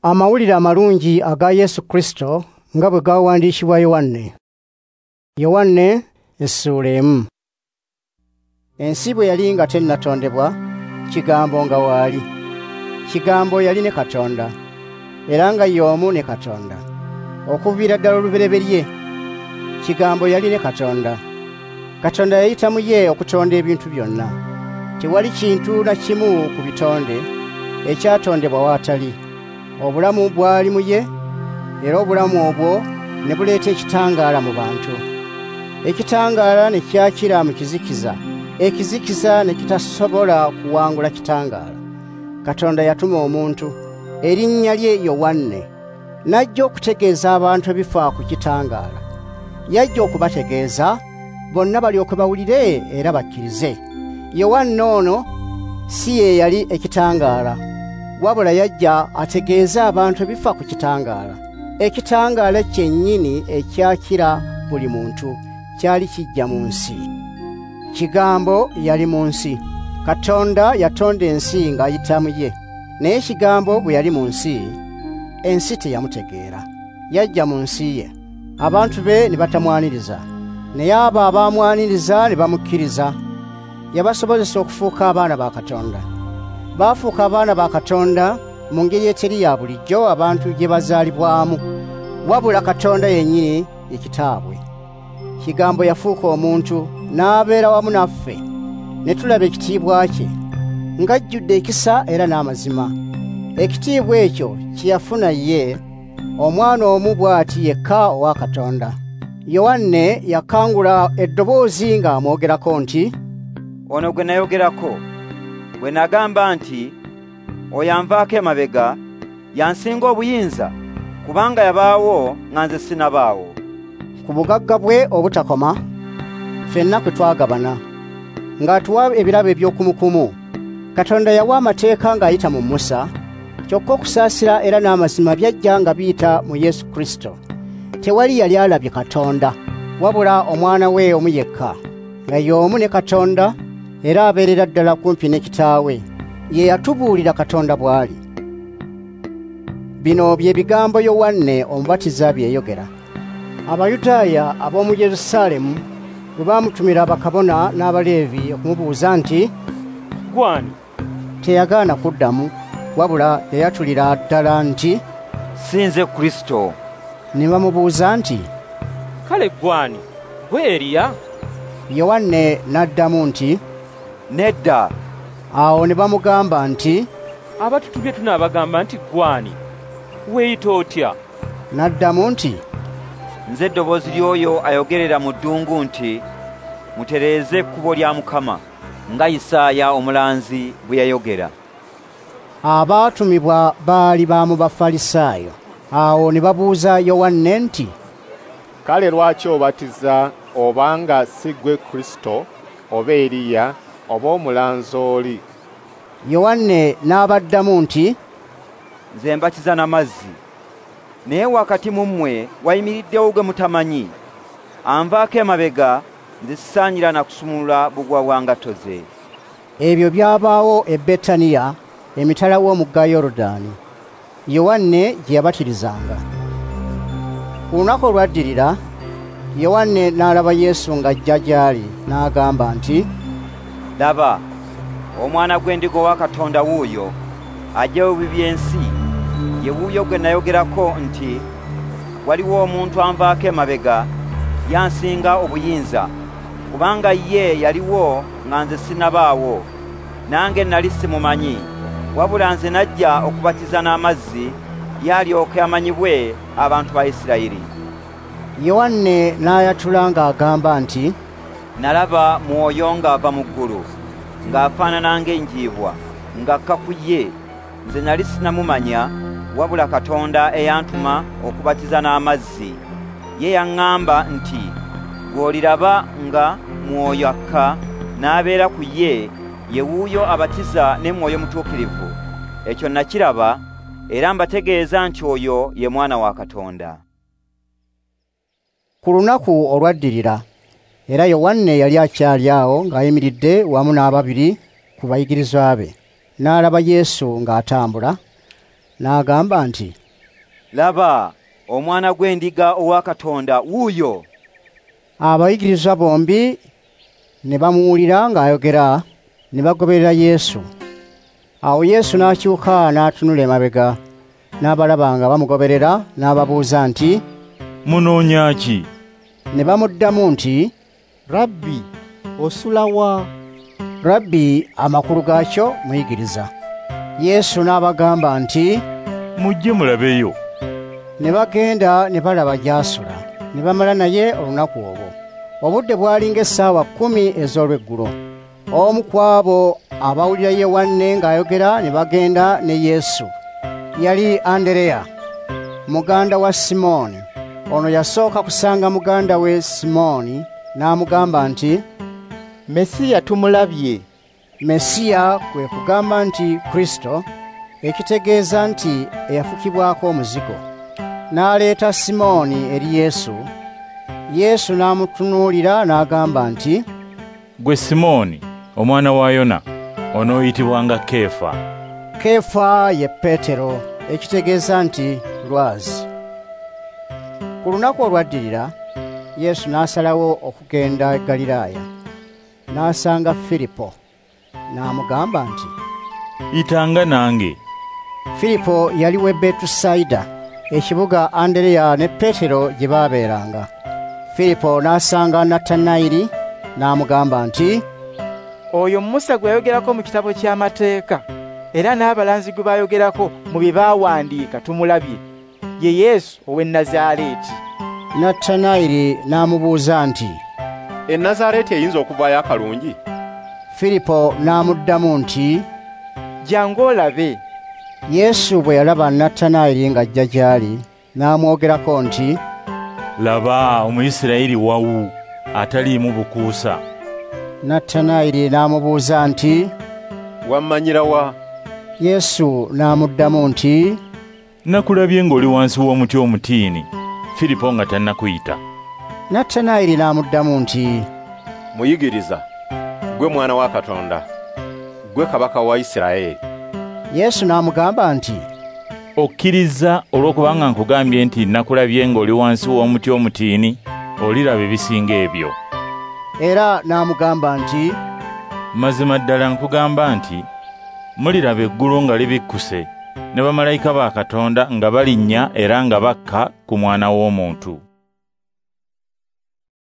Amawulire amalungi aga Yesu Kristo nga bwe gawandiikibwa Yowanne. Yowanne essuula 1. Ensi bwe yali nga tennatondebwa, Kigambo nga waali. Kigambo yali ne Katonda, era nga y'omu ne Katonda. Okuviira ddala olubereberye, Kigambo yali ne Katonda. Katonda yayita mu ye okutonda ebintu byonna. Tewali kintu na kimu ku bitonde ekyatondebwa w'atali. Obulamu bwali mu ye, era obulamu obwo ne buleeta ekitangaala mu bantu. Ekitangaala ne kyakira mu kizikiza, ekizikiza ne kitasobola kuwangula kitangaala. Katonda yatuma omuntu, erinnya lye Yowanne, n'ajja okutegeeza abantu ebifa ku kitangaala. Yajja okubategeeza, bonna balyoke bawulire era bakkirize. Yowanne ono si ye yali ekitangaala, wabula yajja ategeeze abantu ebifa ku kitangaala. Ekitangaala kyennyini ekyakira buli muntu kyali kijja mu nsi. Kigambo yali mu nsi. Katonda yatonda ensi ng'ayita mu ye. Naye Kigambo bwe yali mu nsi, ensi teyamutegeera. Yajja mu nsi ye, abantu be ne batamwaniriza. Naye abo abaamwaniriza ne bamukkiriza. Yabasobozesa okufuuka abaana ba Katonda. Baafuuka abaana ba Katonda mu ngeri eteri ya bulijjo abantu gye bazaalibwamu, wabula Katonda yennyini ye kitaabwe. Kigambo yafuuka omuntu n'abeera wamu naffe, ne tulaba ekitiibwa kye, ng'ajjudde ekisa era n'amazima. Ekitiibwa ekyo kye yafuna ye, omwana omu bw'ati yekka owa Katonda. Yowanne yakangula eddoboozi ng'amwogerako nti, "Ono gwe nayogerako, bwe nagamba nti, oyo anvaako emabega yansinga obuyinza, kubanga yabaawo nga nze sinnabaawo." Ku bugagga bwe obutakoma, ffenna kwe twagabana, ng'atuwa ebirabo eby'okumukumu. Katonda yawa amateeka ng'ayita mu Musa, kyokka okusaasira era n'amazima byajja nga biyita mu Yesu Kristo. Tewali yali alabye Katonda, wabula omwana we omu yekka, nga y'omu ne Katonda, era abeerera ddala kumpi ne kitaawe. Ye yatubuulira Katonda bw'ali. Bino bye bigambo Yowanne Omubatiza bye yayogera. Abayudaaya ab'omu Yerusaalemu bwe baamutumira bakabona n'Abaleevi okumubuuza nti, "Gwani?" Teyagaana kuddamu, wabula yayatulira ddala nti, "Si nze Kristo." Ne bamubuuza nti, "Kale gwani? Gwe Eriya?" Yowanne n'addamu nti, "Nedda." Awo ne bamugamba nti, "Abatutubye tunaabagamba nti gwani? Weeyita otya?" N'addamu nti, "Nze eddoboozi ly'oyo ayogerera mu ddungu nti, mutereeze ekkubo lya Mukama, nga Isaaya omulanzi bwe yayogera." Abaatumibwa baali ba mu Bafalisaayo. Awo ne babuuza Yowanne nti, "Kale lwaki obatiza obanga si ggwe Kristo oba Eriya oba omulanzi oli?" Yowanne n'abaddamu nti, "Nze mbatiza n'amazzi, naye wakati mu mmwe wayimiriddewo gwe mutamanyi. Anvaako emabega, nze sisaanira na kusumulula bugwa bwa ngatto ze." Ebyo byabaawo e Betaniya, emitala w'omugga Yorudaani, Yowanne gye yabatirizanga. Ku lunaku olwaddirira, Yowanne n'alaba Yesu ng'ajja gy'ali, n'agamba nti, "Laba, omwana gw'endiga wa Katonda wuuyo, aggyawo ebibi by'ensi. Ye wuuyo gwe nayogerako nti, waliwo omuntu anvaako emabega, yansinga obuyinza, kubanga ye yaliwo nga nze sinnabaawo. Nange nali simumanyi, wabula nze najja okubatiza n'amazzi, ye alyoke amanyibwe abantu ba Isirayiri." Yowanne n'ayatula ng'agamba nti, "Nalaba Mwoyo ng'ava mu ggulu, ng'afaanana ng'enjiibwa, ng'akka ku ye. Nze nali sinnamumanya, wabula Katonda eyantuma okubatiza n'amazzi, ye yaŋŋamba nti, gw'oliraba nga Mwoyo akka n'abeera ku ye, ye wuuyo abatiza ne Mwoyo Mutuukirivu. Ekyo nakiraba, era mbategeeza nti oyo ye Mwana wa Katonda." Ku lunaku olwaddirira, era Yowanne yali akyali awo ng'ayimiridde wamu n'ababiri ku bayigirizwa be. N'alaba Yesu ng'atambula, N'agamba nti, "Laba, omwana gw'endiga owa Katonda wuuyo." Abayigirizwa bombi ne bamuwulira ng'ayogera, ne bagoberera Yesu. Awo Yesu n'akyuka n'atunula emabega, n'abalaba nga bamugoberera, n'ababuuza nti, "Munoonya ki?" Ne bamuddamu nti, "Rabbi, osula wa?" Rabbi amakulu gaakyo muyigiriza. Yesu n'abagamba nti, "Mujje mulabeyo." Ne bagenda ne balaba gy'asula, ne bamala naye olunaku olwo. Obudde bwali ng'essaawa 10 ez'olweggulo. Omu ku abo abawulira Yowanne ng'ayogera ne bagenda ne Yesu yali Andereya, muganda wa Simooni. Ono yasooka kusanga muganda we Simooni n'amugamba nti, "Mesiya tumulabye." Mesiya kwe kugamba nti Kristo, ekitegeeza nti eyafukibwako omuzigo. N'aleeta Simooni eri Yesu. Yesu n'amutunuulira n'agamba nti, "Gwe Simooni, omwana wa Yona, onooyitibwanga Keefa." Keefa ye Peetero, ekitegeeza nti lwazi. Ku lunaku olwaddirira, Yesu n'asalawo okugenda e Galilaaya. N'asanga Filipo, n'amugamba nti, "Yitanga nange." Filipo yali w'e Betusayida, ekibuga Andereya ne Peetero gye baabeeranga. Filipo n'asanga Natanayiri n'amugamba nti, "Oyo Musa gwe yayogerako mu kitabo ky'amateeka, era n'abalanzi gwe baayogerako mu bye baawandiika tumulabye, ye Yesu ow'e Nazaaleeti." Natanayiri n'amubuuza nti, "E Nazaaleeti eyinza okuvaayo akalungi?" Filipo n'amuddamu nti, "Jjangu olabe." Yesu bwe yalaba Natanayiri ng'ajja gy'ali, n'amwogerako nti, "Laba Omuyisirayiri wawu ataliimu bukuusa." Natanayiri n'amubuuza nti, "Wammanyira wa?" Yesu n'amuddamu nti, "Nakulabye ng'oli wansi w'omuti omutiini, Filipo nga tannakuyita." Natanayiri n'amuddamu nti, "Muyigiriza, gwe mwana wa Katonda, gwe kabaka wa Isirayiri." Yesu n'amugamba nti, "Okkiriza olw'okubanga nkugambye nti nakulabye ng'oli wansi w'omuti omutiini, oliraba ebisinga ebyo." Era n'amugamba nti, "Mazima ddala nkugamba nti muliraba eggulu nga libikkuse, ne bamalayika ba Katonda nga balinnya era nga bakka ku Mwana w'Omuntu."